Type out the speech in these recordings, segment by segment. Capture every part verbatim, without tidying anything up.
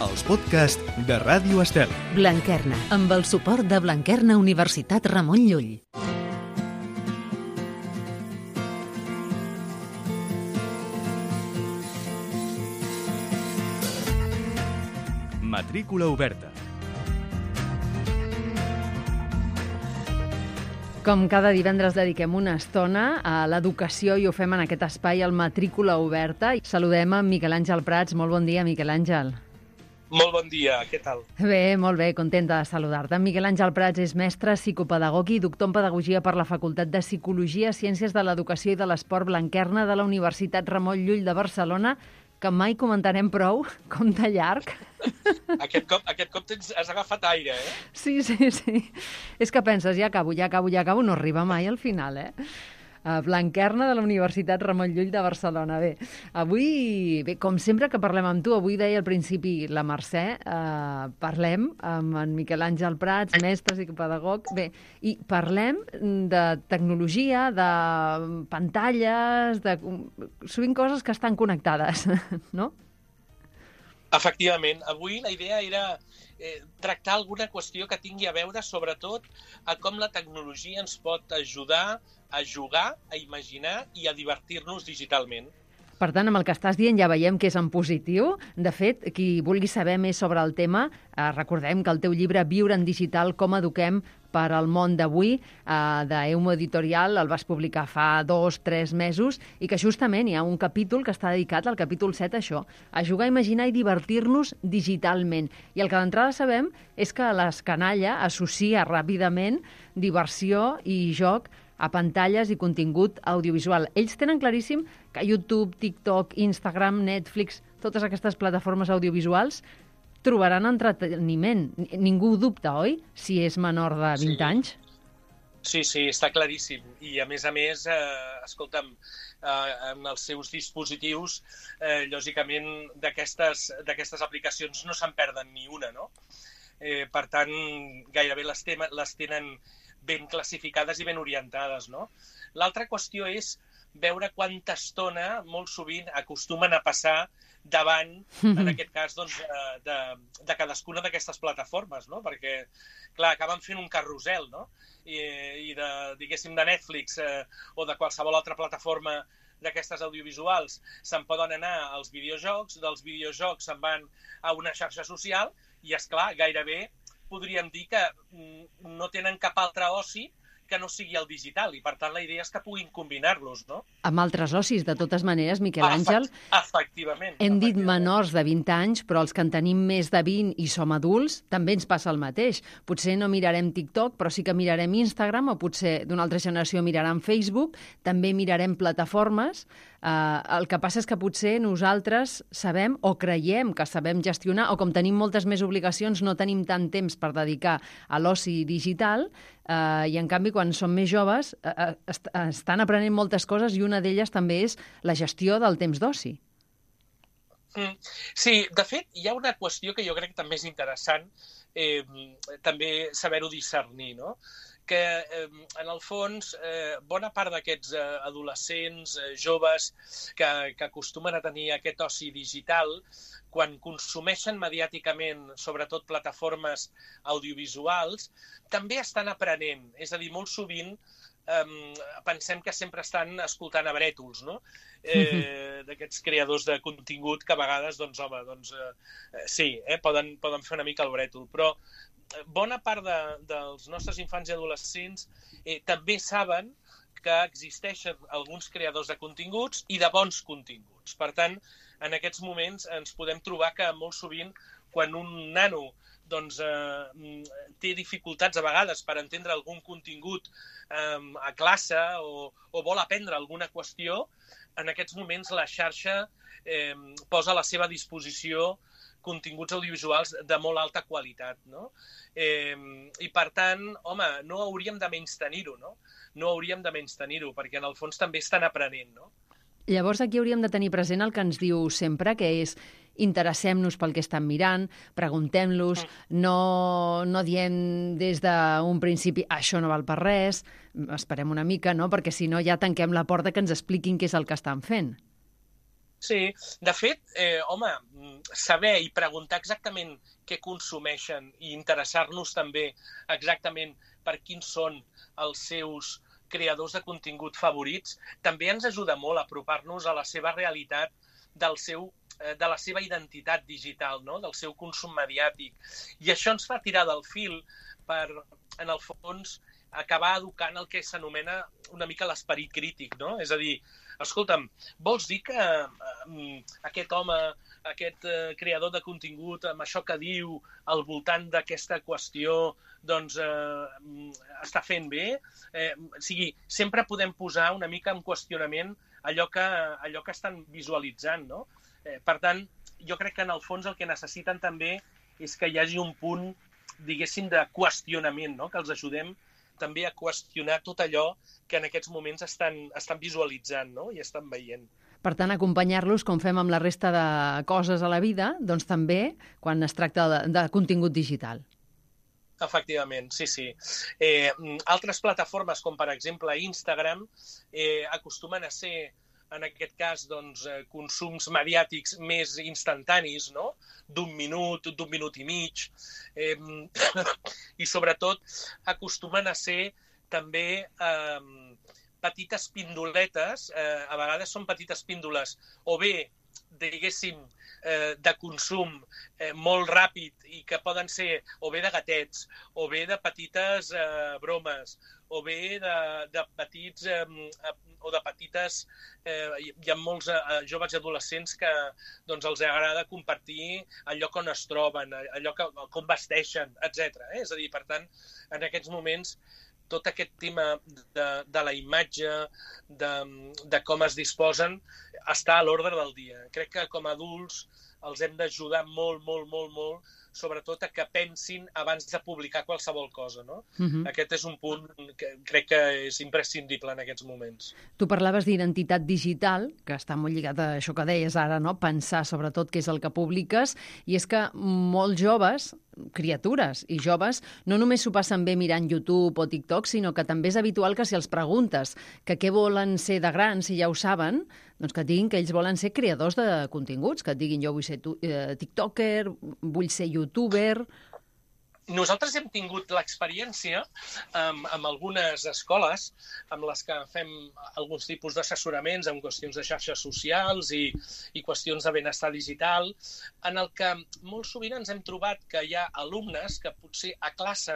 els podcasts de Ràdio Estel. Blanquerna, amb el suport de Blanquerna Universitat Ramon Llull. Matrícula oberta. Com cada divendres dediquem una estona a l'educació i ho fem en aquest espai, el Matrícula Oberta. Saludem a Miquel Àngel Prats. Molt bon dia, Miquel Àngel. Molt bon dia, què tal? Bé, molt bé, contenta de saludar-te. Miquel Àngel Prats és mestre psicopedagog i doctor en Pedagogia per la Facultat de Psicologia, Ciències de l'Educació i de l'Esport Blanquerna de la Universitat Ramon Llull de Barcelona, que mai comentarem prou, com de llarg. Aquest cop, aquest cop tens, has agafat aire, eh? Sí, sí, sí. És que penses, ja acabo, ja acabo, ja acabo, no arriba mai al final, eh? Uh, Blanquerna de la Universitat Ramon Llull de Barcelona. Bé, avui, bé, com sempre que parlem amb tu, avui deia al principi la Mercè, uh, parlem amb en Miquel Àngel Prats, mestre psicopedagog, bé, i parlem de tecnologia, de pantalles, de sovint coses que estan connectades, no? Efectivament, avui la idea era eh, tractar alguna qüestió que tingui a veure sobretot a com la tecnologia ens pot ajudar a jugar, a imaginar i a divertir-nos digitalment. Per tant, amb el que estàs dient ja veiem que és en positiu. De fet, qui vulgui saber més sobre el tema, eh, recordem que el teu llibre Viure en digital, com eduquem per al món d'avui, eh, d'Eumo Editorial, el vas publicar fa dos, tres mesos, i que justament hi ha un capítol que està dedicat al capítol set a això, a jugar, imaginar i divertir-nos digitalment. I el que d'entrada sabem és que l'escanalla associa ràpidament diversió i joc a pantalles i contingut audiovisual. Ells tenen claríssim que YouTube, TikTok, Instagram, Netflix, totes aquestes plataformes audiovisuals trobaran entreteniment. Ningú dubta, oi? Si és menor de vint Sí. anys. Sí, sí, està claríssim. I a més a més, eh, escolta'm, eh, en els seus dispositius, eh, lògicament, d'aquestes d'aquestes aplicacions no se'n perden ni una, no? Eh, per tant, gairebé les, tema, les tenen ben classificades i ben orientades, no? L'altra qüestió és veure quanta estona, molt sovint, acostumen a passar davant, en aquest cas, doncs, de, de, de cadascuna d'aquestes plataformes, no? Perquè, clar, acaben fent un carrusel, no? I, i de, diguéssim, de Netflix eh, o de qualsevol altra plataforma d'aquestes audiovisuals se'n poden anar als videojocs, dels videojocs se'n van a una xarxa social i, esclar, gairebé podríem dir que no tenen cap altre oci que no sigui el digital, i per tant la idea és que puguin combinar-los, no? Amb altres ocis, de totes maneres, Miquel Àngel. Efectivament. Hem dit efectivament. menors de vint anys, però els que en tenim més de vint i som adults, també ens passa el mateix. Potser no mirarem TikTok, però sí que mirarem Instagram, o potser d'una altra generació miraran Facebook, també mirarem plataformes. Uh, el que passa és que potser nosaltres sabem o creiem que sabem gestionar, o com tenim moltes més obligacions, no tenim tant temps per dedicar a l'oci digital, uh, i en canvi quan som més joves uh, est estan aprenent moltes coses i una d'elles també és la gestió del temps d'oci. Mm. Sí, de fet, hi ha una qüestió que jo crec que també és interessant, eh, també saber-ho discernir, no? Que eh, en el fons eh, bona part d'aquests eh, adolescents, eh, joves que, que acostumen a tenir aquest oci digital, quan consumeixen mediàticament, sobretot plataformes audiovisuals, també estan aprenent. És a dir, molt sovint eh, pensem que sempre estan escoltant a brètols, no? Eh, d'aquests creadors de contingut que a vegades, doncs, home, doncs, eh, sí, eh, poden, poden fer una mica el brètol, però bona part de, dels nostres infants i adolescents eh, també saben que existeixen alguns creadors de continguts i de bons continguts. Per tant, en aquests moments ens podem trobar que molt sovint, quan un nano doncs, eh, té dificultats a vegades per entendre algun contingut eh, a classe o, o vol aprendre alguna qüestió, en aquests moments la xarxa eh, posa a la seva disposició continguts audiovisuals de molt alta qualitat, no? Eh, I, per tant, home, no hauríem de menystenir-ho, no? No hauríem de menystenir-ho, perquè en el fons també estan aprenent, no? Llavors aquí hauríem de tenir present el que ens diu sempre, que és interessem-nos pel que estan mirant, preguntem-los, no, no diem des d'un principi això no val per res, esperem una mica, no? Perquè si no ja tanquem la porta que ens expliquin què és el que estan fent. Sí, de fet, eh, home, saber i preguntar exactament què consumeixen i interessar-nos també exactament per quins són els seus creadors de contingut favorits també ens ajuda molt a apropar-nos a la seva realitat, del seu, eh, de la seva identitat digital, no? Del seu consum mediàtic. I això ens fa tirar del fil per, en el fons, acabar educant el que s'anomena una mica l'esperit crític, no? És a dir, escolta'm, vols dir que eh, aquest home, aquest eh, creador de contingut, amb això que diu al voltant d'aquesta qüestió, doncs eh, està fent bé? Eh, o sigui, sempre podem posar una mica en qüestionament allò que, allò que estan visualitzant, no? Eh, per tant, jo crec que en el fons el que necessiten també és que hi hagi un punt, diguéssim, de qüestionament, no? Que els ajudem també a qüestionar tot allò que en aquests moments estan, estan visualitzant, no? I estan veient. Per tant, acompanyar-los, com fem amb la resta de coses a la vida, doncs també quan es tracta de, de contingut digital. Efectivament, sí, sí. Eh, altres plataformes, com per exemple Instagram, eh, acostumen a ser, en aquest cas, doncs, consums mediàtics més instantanis, no? D'un minut, d'un minut i mig. Eh, I, sobretot, acostumen a ser també eh, petites pindoletes. Eh, a vegades són petites píndoles, o bé, diguéssim, eh, de consum eh, molt ràpid i que poden ser o bé de gatets, o bé de petites eh, bromes, o bé de, de petits eh, o de petites... Eh, hi ha molts eh, joves i adolescents que doncs, els agrada compartir el lloc on es troben, allò que, com vesteixen, etcètera. Eh? És a dir, per tant, en aquests moments, tot aquest tema de, de la imatge, de, de com es disposen, està a l'ordre del dia. Crec que com a adults els hem d'ajudar molt, molt, molt, molt, sobretot a que pensin abans de publicar qualsevol cosa, no? Uh-huh. Aquest és un punt que crec que és imprescindible en aquests moments. Tu parlaves d'identitat digital, que està molt lligat a això que deies ara, no? Pensar sobretot què és el que publiques, i és que molts joves, criatures i joves, no només s'ho passen bé mirant YouTube o TikTok, sinó que també és habitual que si els preguntes que què volen ser de grans, si ja ho saben, doncs que et diguin que ells volen ser creadors de continguts, que et diguin jo vull ser tu, eh, tiktoker, vull ser youtuber... Nosaltres hem tingut l'experiència amb, amb algunes escoles amb les que fem alguns tipus d'assessoraments en qüestions de xarxes socials i, i qüestions de benestar digital, en el que molt sovint ens hem trobat que hi ha alumnes que potser a classe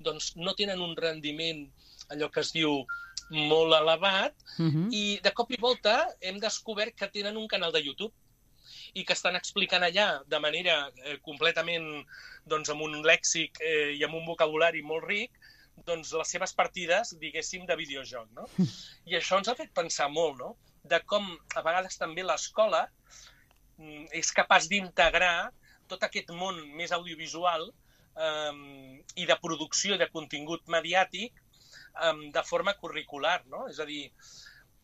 doncs, no tenen un rendiment, allò que es diu, molt elevat, uh-huh. i de cop i volta hem descobert que tenen un canal de YouTube i que estan explicant allà de manera eh, completament, doncs, amb un lèxic eh, i amb un vocabulari molt ric, doncs, les seves partides, diguéssim, de videojoc, no? I això ens ha fet pensar molt, no? De com, a vegades, també l'escola és capaç d'integrar tot aquest món més audiovisual eh, i de producció de contingut mediàtic eh, de forma curricular, no? És a dir,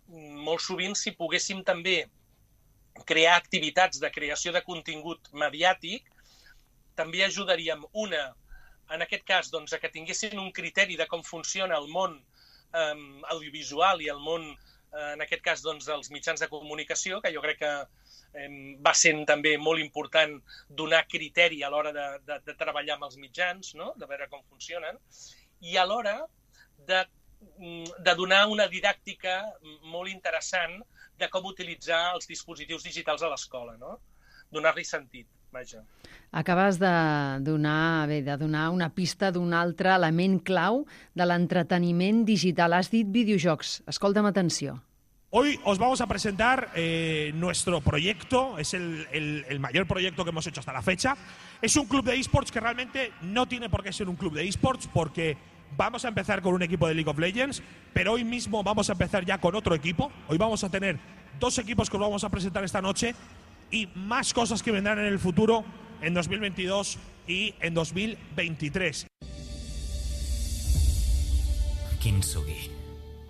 molt sovint, si poguéssim també crear activitats de creació de contingut mediàtic, també ajudaríem una, en aquest cas, doncs, a que tinguessin un criteri de com funciona el món eh, audiovisual i el món, eh, en aquest cas, doncs, dels mitjans de comunicació, que jo crec que eh, va sent també molt important donar criteri a l'hora de, de, de treballar amb els mitjans, no? De veure com funcionen, i alhora de, de donar una didàctica molt interessant de com utilitzar els dispositius digitals a l'escola, no? Donar-li sentit, vaja. Acabes de donar, bé, de donar una pista d'un altre element clau de l'entreteniment digital. Has dit videojocs. Escolta'm, atenció. Hoy os vamos a presentar eh, nuestro proyecto, es el, el, el mayor proyecto que hemos hecho hasta la fecha. Es un club de eSports que realmente no tiene por qué ser un club de eSports porque vamos a empezar con un equipo de League of Legends, pero hoy mismo vamos a empezar ya con otro equipo. Hoy vamos a tener dos equipos que os vamos a presentar esta noche y más cosas que vendrán en el futuro en dos mil veintidós y en dos mil veintitrés. Kintsugi,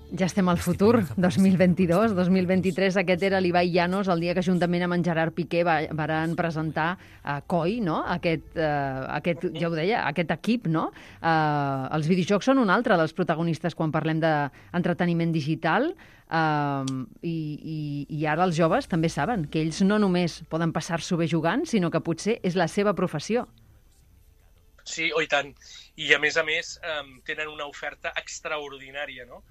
Ja estem al futur, dos mil vint-i-dos, dos mil vint-i-tres. Aquest era l'Ibai Llanos el dia que juntament amb en Gerard Piqué va, van presentar uh, C O I, no? Aquest, uh, aquest, ja ho deia, aquest equip, no? Uh, els videojocs són un altre dels protagonistes quan parlem d'entreteniment digital uh, i, i, i ara els joves també saben que ells no només poden passar-s'ho bé jugant, sinó que potser és la seva professió. Sí, oh, i tant. I a més a més um, tenen una oferta extraordinària, no?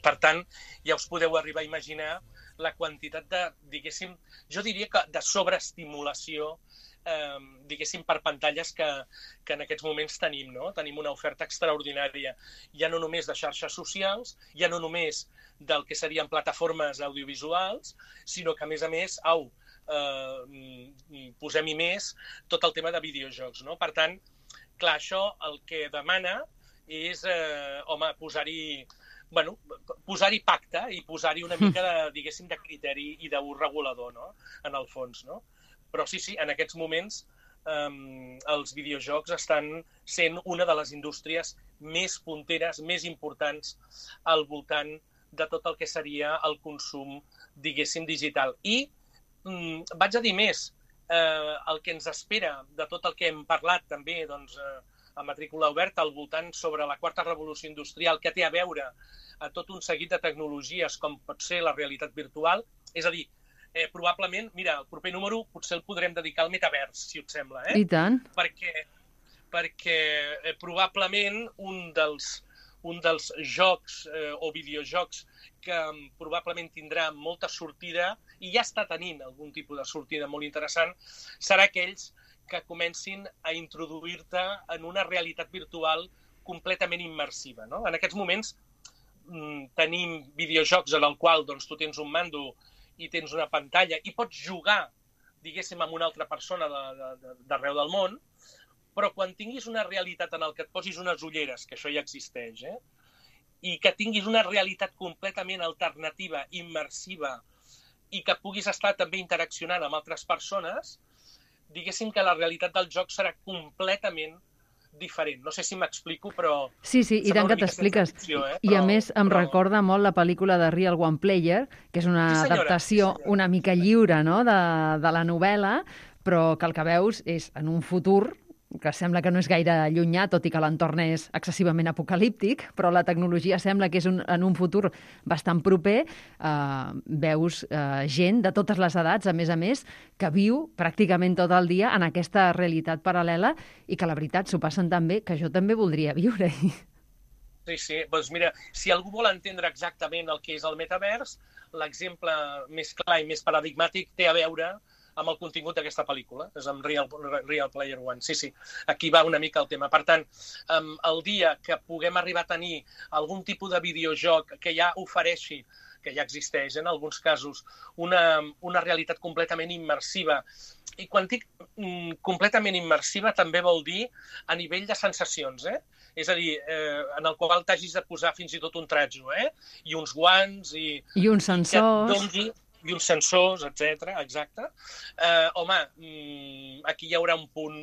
Per tant, ja us podeu arribar a imaginar la quantitat de, diguéssim, jo diria que de sobreestimulació, eh, diguéssim, per pantalles que, que en aquests moments tenim, no? Tenim una oferta extraordinària, ja no només de xarxes socials, ja no només del que serien plataformes audiovisuals, sinó que, a més a més, au, eh, posem-hi més tot el tema de videojocs, no? Per tant, clar, això el que demana és, eh, home, posar-hi bueno, posar-hi pacte i posar-hi una mica de, diguéssim, de criteri i d'ús regulador, no? En el fons, no? Però sí, sí, en aquests moments eh, els videojocs estan sent una de les indústries més punteres, més importants al voltant de tot el que seria el consum, diguéssim, digital. I mm, vaig a dir més, eh, el que ens espera de tot el que hem parlat també, doncs, eh, a matrícula oberta al voltant sobre la quarta revolució industrial que té a veure a tot un seguit de tecnologies com pot ser la realitat virtual. És a dir, eh, probablement, mira, el proper número potser el podrem dedicar al metavers, si et sembla. Eh? I tant. Perquè, perquè eh, probablement un dels, un dels jocs eh, o videojocs que um, probablement tindrà molta sortida i ja està tenint algun tipus de sortida molt interessant, serà aquells que comencin a introduir-te en una realitat virtual completament immersiva, no? En aquests moments mmm, tenim videojocs en el qual doncs, tu tens un mando i tens una pantalla i pots jugar, diguéssim, amb una altra persona d'arreu del món, però quan tinguis una realitat en el que et posis unes ulleres, que això ja existeix, eh? I que tinguis una realitat completament alternativa, immersiva, i que puguis estar també interaccionant amb altres persones, diguéssim que la realitat del joc serà completament diferent. No sé si m'explico, però... Sí, sí, i tant que t'expliques. Eh? I a més em però... recorda molt la pel·lícula de Real One Player, que és una sí, senyora, adaptació sí, una mica lliure, no?, de, de la novel·la, però que el que veus és en un futur que sembla que no és gaire llunyà, tot i que l'entorn és excessivament apocalíptic, però la tecnologia sembla que és un, en un futur bastant proper. Eh, veus eh, gent de totes les edats, a més a més, que viu pràcticament tot el dia en aquesta realitat paral·lela i que la veritat s'ho passen tan bé que jo també voldria viure-hi. Sí, sí. Doncs mira, si algú vol entendre exactament el que és el metavers, l'exemple més clar i més paradigmàtic té a veure amb el contingut d'aquesta pel·lícula, és amb Real, Real Player One. Sí, sí, aquí va una mica el tema. Per tant, el dia que puguem arribar a tenir algun tipus de videojoc que ja ofereixi, que ja existeix en alguns casos, una, una realitat completament immersiva, i quan dic mm, completament immersiva també vol dir a nivell de sensacions, eh? És a dir, eh, en el qual t'hagis de posar fins i tot un tratjo, eh? I uns guants i... I uns sensors... I i uns sensors, etcètera, exacte. Eh, home, aquí hi haurà un punt,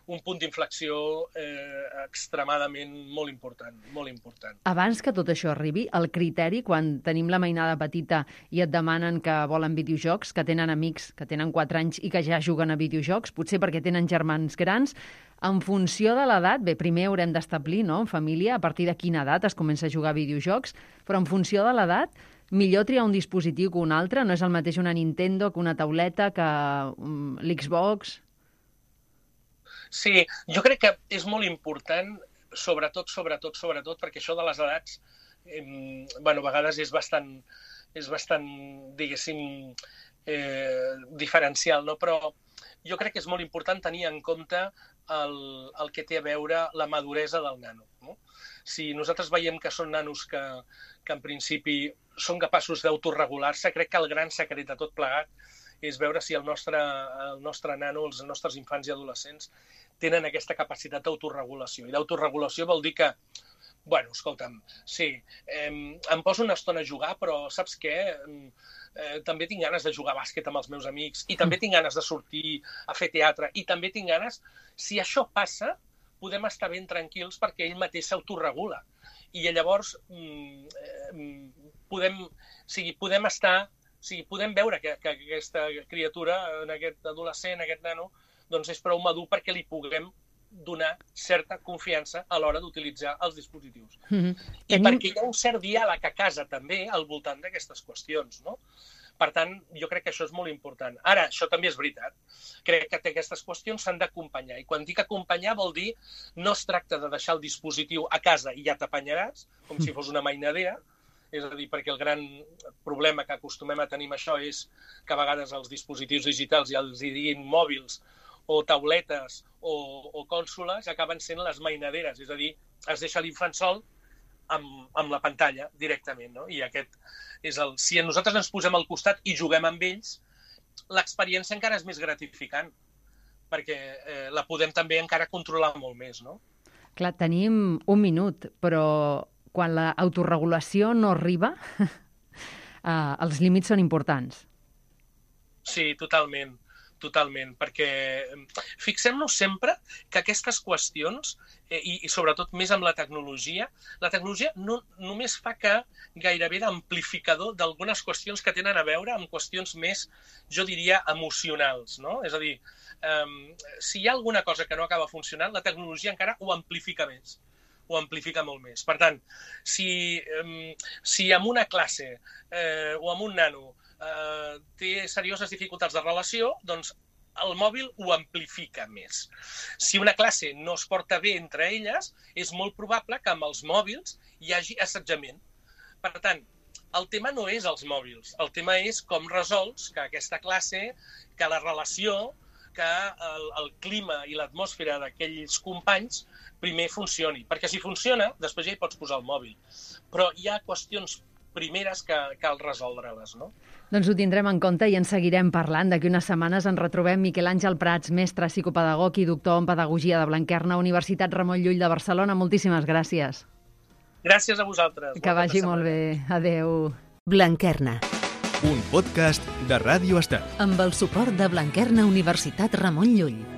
un punt d'inflexió eh, extremadament molt important, molt important. Abans que tot això arribi, el criteri, quan tenim la mainada petita i et demanen que volen videojocs, que tenen amics que tenen quatre anys i que ja juguen a videojocs, potser perquè tenen germans grans, en funció de l'edat, bé, primer haurem d'establir, no?, en família, a partir de quina edat es comença a jugar a videojocs, però en funció de l'edat, millor triar un dispositiu que un altre? No és el mateix una Nintendo que una tauleta, que um, l'Xbox? Sí, jo crec que és molt important, sobretot, sobretot, sobretot, perquè això de les edats, eh, bueno, a vegades és bastant, és bastant, diguéssim, eh, diferencial, no? Però jo crec que és molt important tenir en compte el, el que té a veure la maduresa del nano, no? Si nosaltres veiem que són nanos que, que en principi són capaços d'autoregular-se, crec que el gran secret de tot plegat és veure si el nostre, el nostre nano, els nostres infants i adolescents tenen aquesta capacitat d'autoregulació. I d'autoregulació vol dir que, bueno, escolta'm, sí, eh, em poso una estona a jugar, però saps què? Eh, també tinc ganes de jugar a bàsquet amb els meus amics i també tinc ganes de sortir a fer teatre i també tinc ganes... Si això passa, podem estar ben tranquils perquè ell mateix s'autoregula. i llavors eh, podem, o sigui, podem estar, o sigui, podem veure que, que aquesta criatura, en aquest adolescent, aquest nano, doncs és prou madur perquè li puguem donar certa confiança a l'hora d'utilitzar els dispositius. Mm-hmm. I Tenim... perquè hi ha un cert diàleg a casa també al voltant d'aquestes qüestions, no? Per tant, jo crec que això és molt important. Ara, això també és veritat. Crec que aquestes qüestions s'han d'acompanyar. I quan dic acompanyar vol dir no es tracta de deixar el dispositiu a casa i ja t'apanyaràs, com si fos una mainadera, és a dir, perquè el gran problema que acostumem a tenir amb això és que a vegades els dispositius digitals, ja els hi diguin mòbils o tauletes o, o cònsoles, acaben sent les mainaderes, és a dir, es deixa l'infant sol amb, amb la pantalla directament, no? I aquest és el... Si nosaltres ens posem al costat i juguem amb ells, l'experiència encara és més gratificant, perquè eh, la podem també encara controlar molt més, no? Clar, tenim un minut, però quan l'autoregulació no arriba, eh, els límits són importants. Sí, totalment. Totalment, perquè fixem-nos sempre que aquestes qüestions, eh, i, i sobretot més amb la tecnologia, la tecnologia no només fa que gairebé d'amplificador d'algunes qüestions que tenen a veure amb qüestions més, jo diria, emocionals, no? És a dir, eh, si hi ha alguna cosa que no acaba funcionant, la tecnologia encara ho amplifica més, ho amplifica molt més. Per tant, si, eh, si en una classe eh, o en un nano Uh, té serioses dificultats de relació, doncs el mòbil ho amplifica més. Si una classe no es porta bé entre elles, és molt probable que amb els mòbils hi hagi assetjament. Per tant, el tema no és els mòbils, el tema és com resols que aquesta classe, que la relació, que el, el clima i l'atmosfera d'aquells companys primer funcioni. Perquè si funciona, després ja hi pots posar el mòbil. Però hi ha qüestions primeres que cal resoldre-les, no? Doncs ho tindrem en compte i en seguirem parlant. D'aquí unes setmanes ens retrobem Miquel Àngel Prats, mestre psicopedagog i doctor en Pedagogia de Blanquerna, Universitat Ramon Llull de Barcelona. Moltíssimes gràcies. Gràcies a vosaltres. Que vagi molt bé. Adéu. Blanquerna. Un podcast de Ràdio Estel. Amb el suport de Blanquerna Universitat Ramon Llull.